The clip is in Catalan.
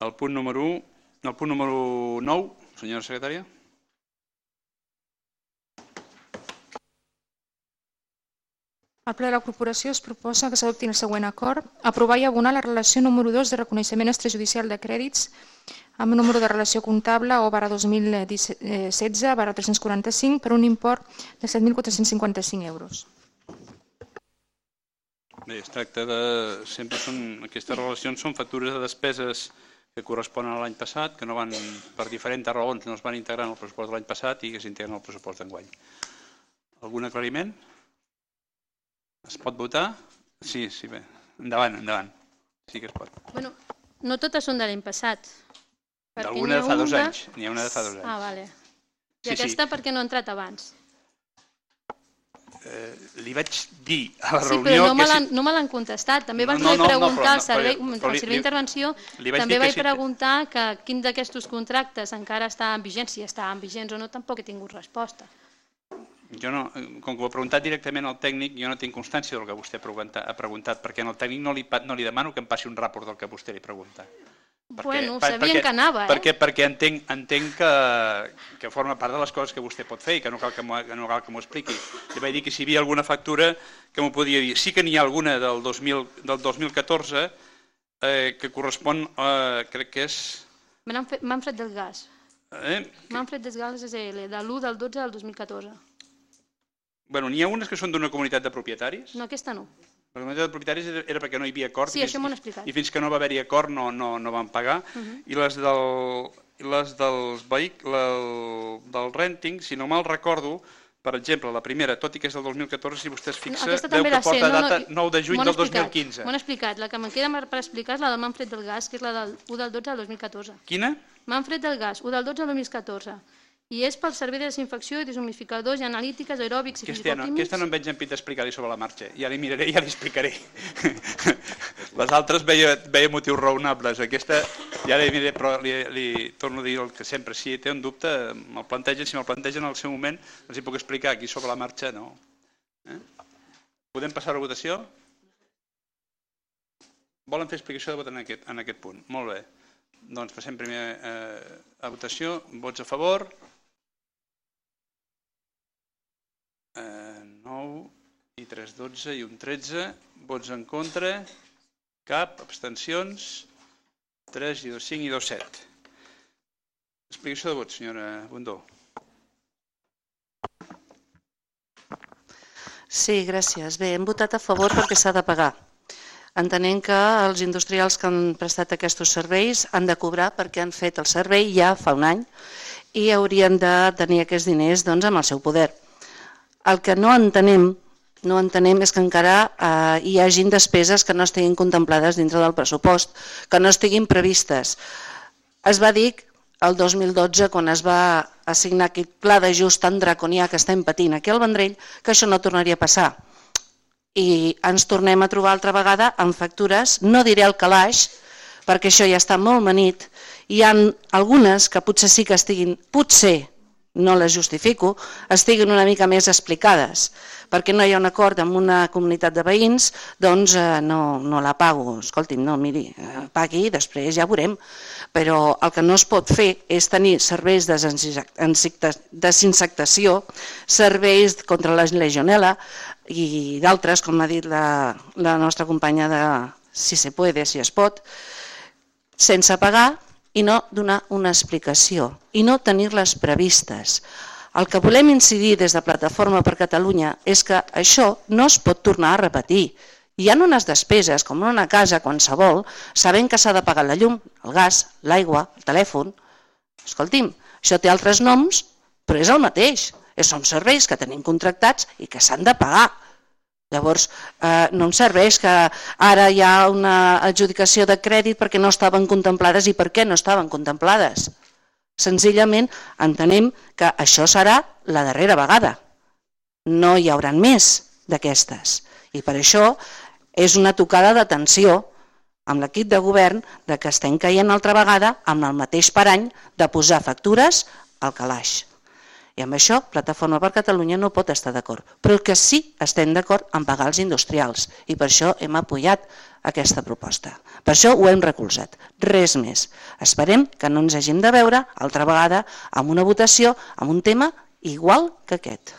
El punt número 9, senyora secretària. Al ple de la corporació es proposa que s'adopti el següent acord: aprovar i abonar la relació número 2 de reconeixement extrajudicial de crèdits amb número de relació comptable O/2016/345 per un import de 7.455 euros. Bé, es tracta de... Sempre són... Aquestes relacions són factures de despeses que corresponen a l'any passat, que no van, per diferents raons, no es van integrar en el pressupost de l'any passat i que s'integren al pressupost d'enguany. Algun aclariment? Es pot votar? Sí, bé. Endavant. Sí que es pot. Bueno, no totes són de l'any passat. D'alguna de fa 2 anys. N'hi ha una de fa 2 anys. Ah, vale. I aquesta per què no ha entrat abans? Li vaig dir a la reunió... Sí, però no me l'han contestat. També vaig preguntar al servei d'intervenció, també vaig preguntar que quin d'aquests contractes encara està en vigents, si estaven vigents o no, tampoc he tingut resposta. Jo no, com que ho ha preguntat directament al tècnic, jo no tinc constància del que vostè ha preguntat, perquè al tècnic no li demano que em passi un ràport del que vostè li pregunta. Bueno, sabien que anava, Perquè entenc que forma part de les coses que vostè pot fer i que no cal que m'ho expliqui. Li vaig dir que si hi havia alguna factura que m'ho podia dir. Sí que n'hi ha alguna del 2014 que correspon, crec que és... Manfred del Gas. Manfred del Gas és de l'1/12 del 2014. Bueno, n'hi ha unes que són d'una comunitat de propietaris? No, aquesta no. La comunitat de propietaris era perquè no hi havia acord. Sí, això m'ho han explicat. I fins que no va haver-hi acord no van pagar. I les del renting, si no mal recordo, per exemple, la primera, tot i que és del 2014, si vostè es fixa, veu que porta data 9 de juny del 2015. M'ho han explicat. La que me'n queda per explicar és la del Manfred del Gas, que és la del 1/12 del 2014. Quina? Manfred del Gas, 1/12 del 2014. I és pel servei de desinfecció i deshumidificadors i analítiques, aeròbics i fisicoquímics. Aquesta no em veig empit d'explicar-li sobre la marxa. Ja li miraré i ja li explicaré. Les altres veia motius raonables. Aquesta ja li miraré, però li torno a dir el que sempre. Si té un dubte, me'l plantegen. Si me'l plantegen en el seu moment, els hi puc explicar. Aquí sobre la marxa, no. Podem passar a la votació? Volen fer explicació de vot en aquest punt? Molt bé. Doncs passem primer a votació. Vots a favor? 9 i 3, 12 i un 13. Vots en contra? Cap. Abstencions? 3 i 2, 5 i 2, 7. Explicació de vot, senyora Bundó. Sí, gràcies. Bé, hem votat a favor perquè s'ha de pagar. Entenent que els industrials que han prestat aquests serveis han de cobrar perquè han fet el servei ja fa un any i haurien de tenir aquests diners amb el seu poder. El que no entenem és que encara hi hagin despeses que no estiguin contemplades dintre del pressupost, que no estiguin previstes. Es va dir el 2012, quan es va assignar aquest pla d'ajust tan draconià que estem patint aquí al Vendrell, que això no tornaria a passar. I ens tornem a trobar altra vegada amb factures, no diré al calaix, perquè això ja està molt manit. Hi ha algunes que potser sí que estiguin, potser, no les justifico, estiguin una mica més explicades. Perquè no hi ha un acord amb una comunitat de veïns, doncs no la pago. Escolti'm, no, miri, pagui i després ja veurem. Però el que no es pot fer és tenir serveis de desinsectació, serveis contra la legionel·la i d'altres, com ha dit la nostra companya de Si se puede, si es pot, sense pagar i no donar una explicació i no tenir-les previstes. El que volem incidir des de Plataforma per Catalunya és que això no es pot tornar a repetir. Hi ha unes despeses, com en una casa qualsevol, sabent que s'ha de pagar la llum, el gas, l'aigua, el telèfon. Escolti'm, això té altres noms, però és el mateix. Són serveis que tenim contractats i que s'han de pagar. Llavors, no em serveix que ara hi ha una adjudicació de crèdit perquè no estaven contemplades i per què no estaven contemplades. Senzillament entenem que això serà la darrera vegada. No hi haurà més d'aquestes. I per això és una tocada d'atenció amb l'equip de govern que estem caient altra vegada amb el mateix parany de posar factures al calaix. I amb això Plataforma per Catalunya no pot estar d'acord. Però el que sí estem d'acord en pagar els industrials i per això hem apoyat aquesta proposta. Per això ho hem recolzat. Res més. Esperem que no ens hàgim de veure altra vegada amb una votació amb un tema igual que aquest.